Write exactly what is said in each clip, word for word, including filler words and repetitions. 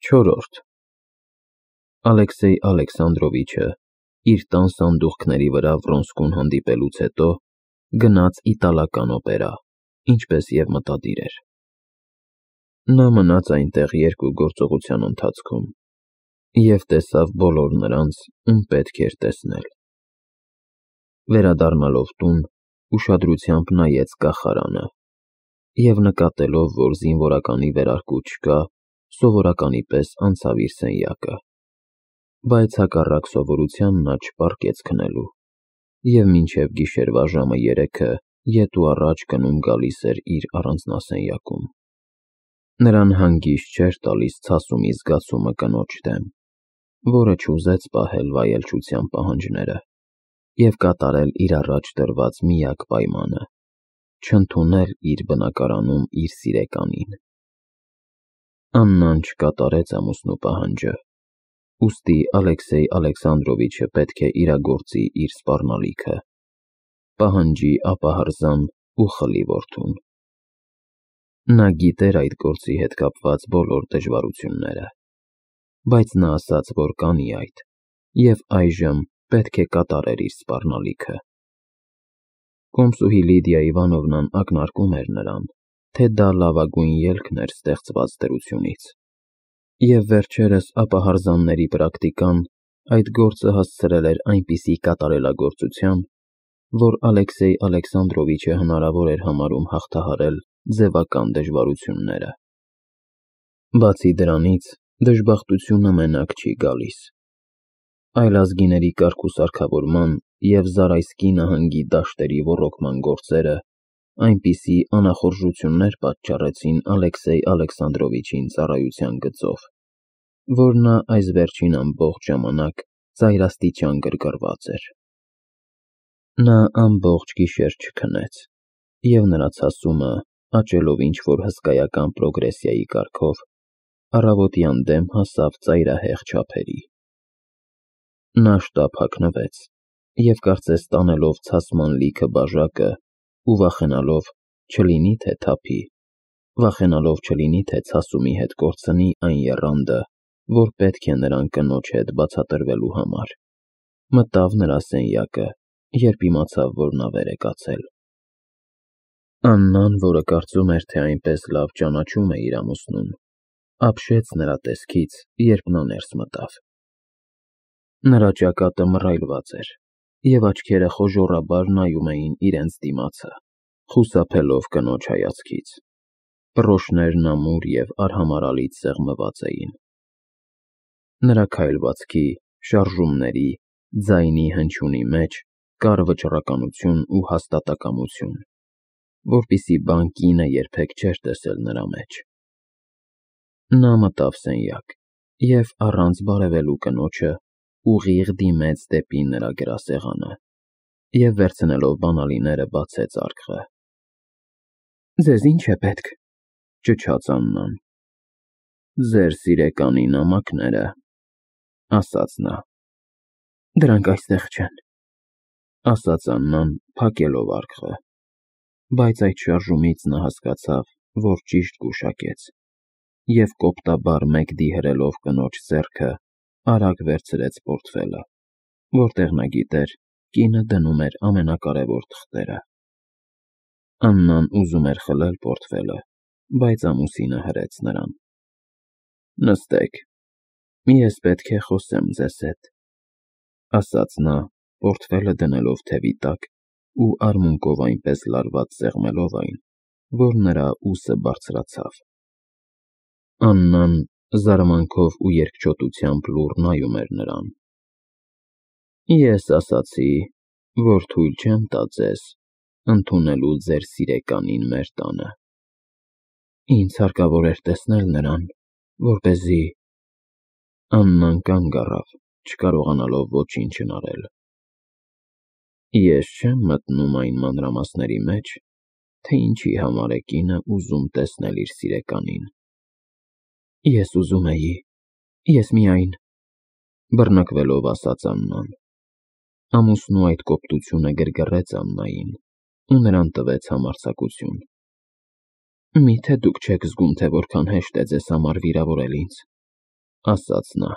Չորրորդ Ալեքսեյ Ալեքսանդրովիչը իր տան սանդուղքների վրա Վրոնսկուն հանդիպելուց հետո գնաց իտալական օպերա, ինչպես և մտադիր էր։ Նա մնաց այնտեղ երկու գործողության ընթացքում և տեսավ բոլոր նրանց, ում պետք էր տեսնել։ Վերադառնալով տուն, ուշադրությամբ նայեց կախարանը և նկատելով, որ զինվորականի վերարկու չկա, սովորականի պես անցավ իր սենյակը, բայց հակառակ սովորության նա չպառկեց քնելու և մինչև գիշերվա ժամը երեքը ետ ու առաջ գնում-գալիս էր իր առանձնասենյակում։ Նրան հանգիստ չէր տալիս ցասումի զգացումը կնոջ դեմ, որը չուզեց պահել վայելչության պահանջները և կատարել իր առաջ դրված միակ պայմանը՝ չընդունել իր բնակարանում իր սիրեկանին։ Աննան չկատարեց ամուսնու պահանջը, ուստի Ալեքսեյ Ալեքսանդրովիչը պետք է իրագործի իր սպառնալիքը՝ պահանջի ապահարզան ու խլի որդուն։ Նա գիտեր այդ գործի հետ կապված բոլոր դժվարությունները, բայց նա ասաց, որ կանի այդ, և այժմ պետք է կատարեր իր սպառնալիքը։ Կոմսուհի Լիդիա Իվանովնան ակնարկում էր նրան, թե դա լավագույն ելքն էր ստեղծված դրությունից, և վերջերս ապահարզանների պրակտիկան այդ գործը հասցրել էր այնպիսի կատարելագործության, որ Ալեքսեյ Ալեքսանդրովիչը հնարավոր էր համարում հաղթահարել ձևական դժվարությունները։ Բացի դրանից, դժբախտությունը մենակ չի գալիս։ Այլազգիների կարգուսարգավորման և Զարայսկի նահանգի դաշտերի ոռոգման գործերը այնպիսի անախորժություններ պատճառեցին Ալեքսեյ Ալեքսանդրովիչին ծառայության գծով, որ նա այս վերջին ամբողջ ժամանակ ծայրաստիճան գրգռված էր։ Նա ամբողջ գիշեր չքնեց, և նրա ցասումը, աճելով ինչ-որ հսկայական պրոգրեսիայի կարգով, առավոտյան դեմ հասավ ծայրահեղ չափերի։ Նա շտապ հագնվեց և, կարծես տանելով ցասման լիքը բաժակը ու վախենալով, չլինի թե թափի, վախենալով չլինի թե ցասումի հետ կորցնի այն եռանդը, որ պետք է նրան կնոջ հետ բացատրվելու համար, մտավ նրա սենյակը, երբ իմացավ, որ նա վեր է կացել։ Աննան, որը կարծում էր, թե այնպես լավ ճանաչում է իր ամուսնուն, ապշեց նրա տեսքից, երբ նա ներս մտավ։ Նրա ճակատը մռայլված էր, և աչքերը խոժոռաբար նայում էին իրենց դիմացը, խուսափելով կնոջ հայացքից։ Պռոշներն ամուր և արհամարհալից սեղմված էին։ Նրա քայլվածքի, շարժումների, ձայնի հնչյունի մեջ կար վճռականություն ու հաստատակամություն, որպիսի բան կինը երբեք չէր տեսել նրա մեջ։ Նա մտավ սենյակ և, առանց բարևելու կնոջը, ուղիղ դիմեց դեպի նրա գրասեղանը և, վերցնելով բանալիները, բացեց արկղը։ «Ձեզ ի՞նչ է պետք», ճչաց Աննան։ «Ձեր սիրեկանի նամակները», ասաց նա։ «Դրանք այստեղ չեն», ասաց Աննան, փակելով արկղը, բայց այդ շարժումից նա հասկացավ, որ ճիշտ գուշակեց, և կոպտաբար մեկ դիհրելով կնոջ ձեռքը, արագ վերցրեց պորտֆելը, որտեղ նա գիտեր կինը դնում էր ամենակարևոր թղթերը։ Աննան ուզում էր խլել պորտֆելը, բայց ամուսինը հրեց նրան։ «Նստեք, ես պետք է խոսեմ ձեզ հետ», ասաց նա, պորտֆելը դնելով թևի տակ ու արմունկով այնպես լարված սեղմելով այն, որ նրա ուսը բարձրացավ։ Աննան զարմանքով ու երկչոտությամբ լուռ նայում էր նրան։ «Ես ասացի, որ թույլ չեմ տա ձեզ ընդունելու ձեր սիրեկանին մեր տանը։ Ինձ հարկավոր էր տեսնել նրան, որպեսզի…» Աննան կանգ առավ, չկարողանալով ոչինչ հնարել։ «Ես չեմ մտնում այն մանրամասների մեջ, թե ինչի համար է կինը ուզում տեսնել իր սիրեկանին»։ «Ես ուզում էի, ես միայն…» բռնկվելով ասաց Աննան։ Ամուսնու այդ կոպտությունը գրգռեց Աննային ու նրան տվեց համարձակություն։ «Մի՞թե դուք չեք զգում, թե որքան հեշտ է ձեզ համար վիրավորել ինձ։ ասաց նա։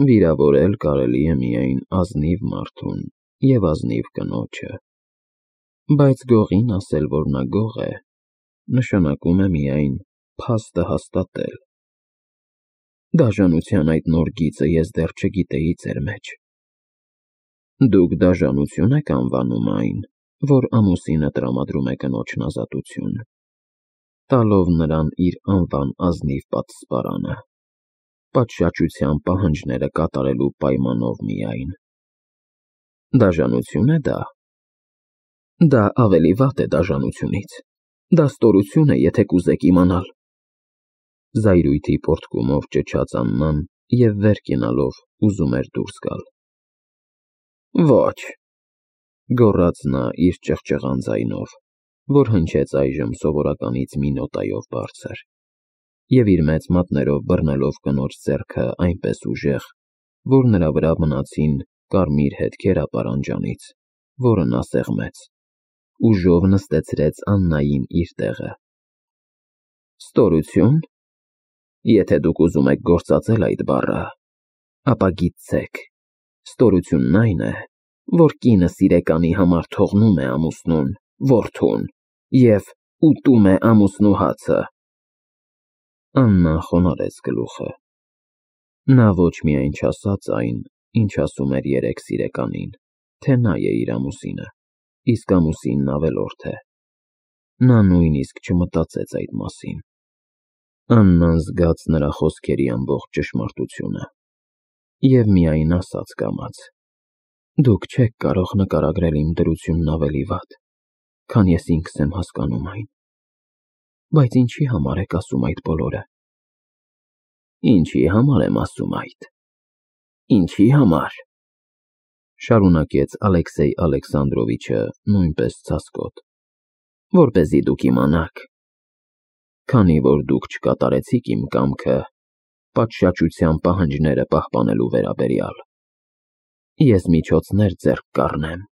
Վիրավորել կարելի է միայն ազնիվ մարդուն և ազնիվ կնոջը, բայց գողին ասել, որ նա գող է, նշանակում է միայն փաստը հաստատել։ Դաժանության այդ նոր գիծը ես դեռ չգիտեի ձեր մեջ։ Դուք դաժանություն եք անվանում այն, որ ամուսինը տրամադրում է կնոջն ազատություն, տալով նրան իր անվան ազնիվ պատսպարանը, պատշաճության պահանջները կատարելու պայմանով միայն։ Դաժանություն է դա։ Դա ավելի վատ է դաժանությունից։ Դա ստորություն է, եթե կուզեք իմանալ։ Զայրույթի պոռթկումով ճչաց Աննան և վեր կենալով ուզում էր դուրս գալ։ Ոչ, գոռաց նա իր ճղճղան ձայնով, որ հնչեց այժմ սովորականից մի նոտայով բարձր, և իր մեծ մատներով բռնելով կնոջ ձեռքը այնպես ուժեղ, որ նրա վրա մնացին կարմիր հետքեր ապարանջանից, որը նա սեղմեց, ուժով նստեցրեց Աննային իր տեղը։ Ստորությո՞ւն։ Եթե դուք ուզում եք գործածել այդ բառը, ապա գիտցեք, ստորությունն այն է, որ կինը սիրեկանի համար թողնում է ամուսնուն, որդուն և ուտում է ամուսնու հացը։ Աննան խոնարհեց գլուխը։ Նա ոչ միայն չասաց այն, ինչ ասում էր երեկ սիրեկանին, թե նա է իր ամուսինը, իսկ ամուսինն ավելորդ է։ Նա նույնիսկ չմտածեց այդ մասին։ Աննան զգաց նրա խոսքերի ամբողջ ճշմարտությունը և միայն ասաց կամաց. Դուք չեք կարող նկարագրել իմ դրությունն ավելի վատ, քան ես ինքս եմ հասկանում այն։ Բայց ինչի համար եք ասում այդ բոլորը։ Ինչի համար եմ ասում այդ։ Ինչի համար, շարունակեց Ալեքսեյ Ալեքսանդրովիչը նույնպես ցասկոտ, որպեսզի դուք իմանաք, քանի որ դուք չկատարեցիք իմ կամքը պատշաճության պահանջները պահպանելու վերաբերյալ, ես միջոցներ ձեռք կառնեմ,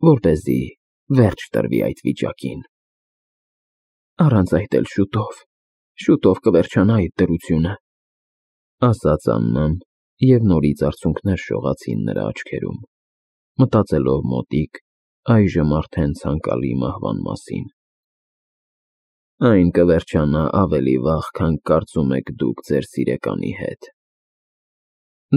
որպեսզի վերջ տրվի այդ վիճակին։ Առանց այդ էլ շուտով, շուտով կվերջանա այդ դրությունը, ասաց Աննան, և նորից արցունքներ շողացին նրա աչքերում, մտածելով մոտիկ, այժմ արդեն ցանկալի մահվան մասին։ Այն կվերջանա ավելի վաղ, քան կարծում եք դուք ձեր սիրեկանի հետ։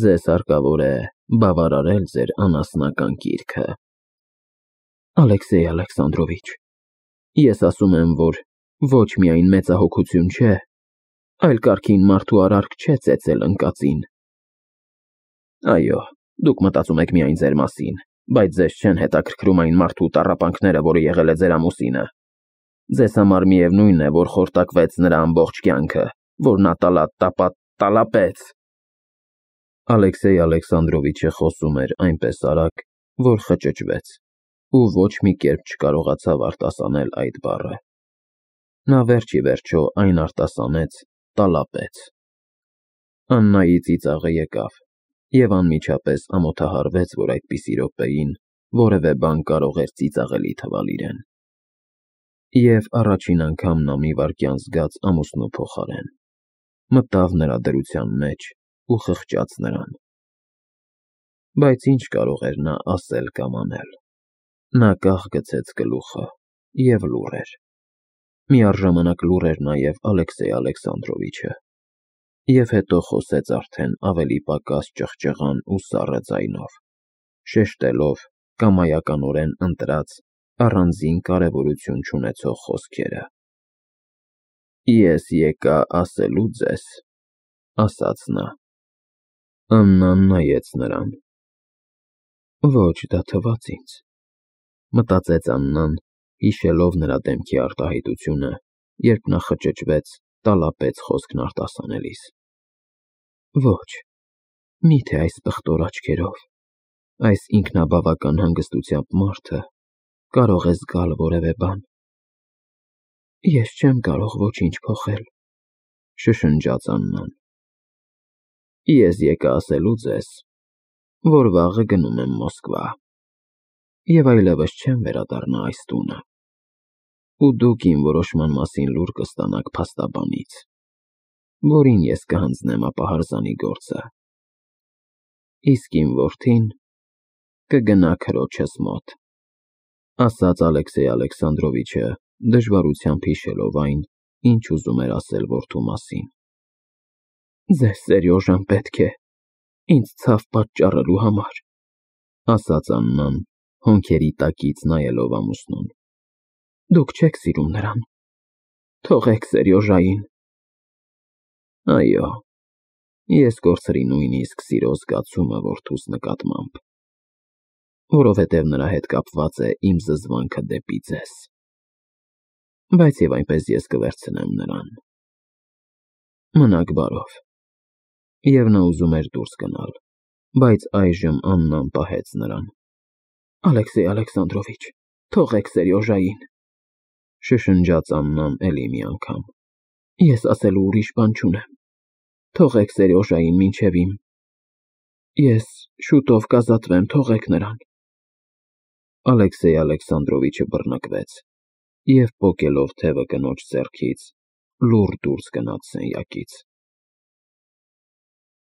Ձեզ հարկավոր է բավարարել ձեր անասնական կիրքը։ Ալեքսեյ Ալեքսանդրովիչ, ես ասում եմ, որ ոչ միայն մեծահոգություն չէ, այլ կարգին մարդու արարք չէ ծեծել ընկածին։ Այո, դուք մտածում եք միայն ձեր մասին, բայց ձեզ չեն հետաքրքրում այն մարդու տառապանքները, որը եղել է ձեր ամուսինը։ Ձեզ համար միևնույն է, որ խորտակվեց նրա ամբողջ կյանքը, որ նա տալա-տապա տալապեց։ Ալեքսեյ Ալեքսանդրովիչը խոսում էր այնպես արագ, որ խճճվեց, ու ոչ մի կերպ չկարողացավ արտասանել այդ բառը։ Նա վերջ ի վերջո այն արտասանեց տալապեց։ Աննայի ծիծաղը եկավ, և անմիջապես ամոթահարվեց, որ այդպիսի րոպեին որևէ բան կարող էր ծիծաղելի թվալ իրեն։ Եվ առաջին անգամ նա մի վայրկյան զգաց ամուսնու փոխարեն, մտավ նրա դրության մեջ ու խղճաց նրան։ Բայց ինչ կարող էր նա ասել կամ անել։ Նա կախ գցեց գլուխը և լուռ էր։ Միառժամանակ լուռ էր նաև Ալեքսեյ Ալեքսանդրովիչը, և հետո խոսեց արդեն ավելի պակաս ճղճղան ու սառը ձայնով, շեշտելով կամայականորեն ընտրած առանձին կարևորություն չունեցող խոսքերը։ Ես եկա ասելու ձեզ, ասաց նա։ Աննան նայեց նրան։ Ոչ, դա թվաց ինձ, մտածեց Աննան, հիշելով նրա դեմքի արտահայտությունը, երբ նա խճճվեց, տալապեց խոսքն արտասանելիս։ Ոչ, միթե այս պղտոր աչքերով, այս ինքնաբավական հանգստությամբ մարդը կարող է զգալ որևէ բան։ Ես չեմ կարող ոչինչ փոխել, շշնջաց Աննան։ Ես եկա ասելու ձեզ, որ վաղը գնում եմ Մոսկվա, և այլևս չեմ վերադառնա այս տունը, ու դուք իմ որոշման մասին լուր կստանաք փաստաբանից։ որին ես կհանձնեմ ապահարզանի գործը։ Իսկ իմ որդին կգնա քրոջս մոտ, ասաց Ալեքսեյ Ալեքսանդրովիչը, դժվարությամբ հիշելով այն, ինչ ուզում էր ասել որդու մասին։ Ձեզ, Սերյոժան, պետք է ինձ ցավ պատճառելու համար, ասաց Աննան, հոնքերի տակից նայելով ամուսնուն։ Դուք չեք սիրում նրան, թողեք Սերյոժային։ Այո, ես կորցրի նույնիսկ սիրո զգացումը որդուս նկատմամբ, որովհետև նրա հետ կապված է իմ զզվանքը դեպի ձեզ, բայց և այնպես ես կվերցնեմ նրան։ Մնաք բարով։ Եվ նա ուզում էր դուրս գնալ, բայց այժմ Աննան պահեց նրան։ Ալեքսեյ Ալեքսանդրովիչ, թողեք Սերյոժային, շշնջաց Աննան էլի մի անգամ։ Ես ասելու ուրիշ բան չունեմ, թողեք Սերյոժային մինչև իմ… Ես շուտով կազատվեմ, թողեք նրան։ Ալեքսեյ Ալեքսանդրովիչը բռնկվեց և պոկելով թևը կնոջ ձեռքից լուռ դուրս գնաց սենյակից։